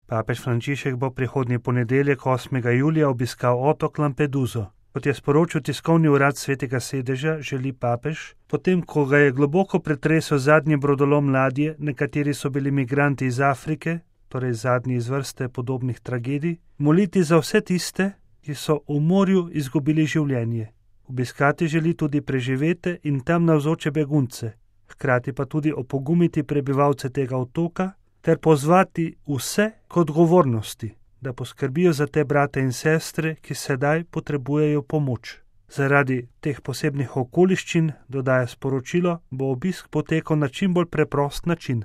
Papež Frančišek bo prihodnji ponedeljek 8. julija obiskal otok Lampeduso. Kot je sporočil tiskovni urad Svetega sedeža, želi papež, potem ko ga je globoko pretresel zadnji brodolom ladje, na kateri so bili migranti iz Afrike, torej zadnji iz vrste podobnih tragedij, moliti za vse tiste, ki so v morju izgubili življenje. Obiskati želi tudi preživete in tam navzoče begunce, hkrati pa tudi opogumiti prebivalce tega otoka ter pozvati vse k odgovornosti, da poskrbijo za te brate in sestre, ki sedaj potrebujejo pomoč. Zaradi teh posebnih okoliščin, dodaja sporočilo, bo obisk potekal na čim bolj preprost način.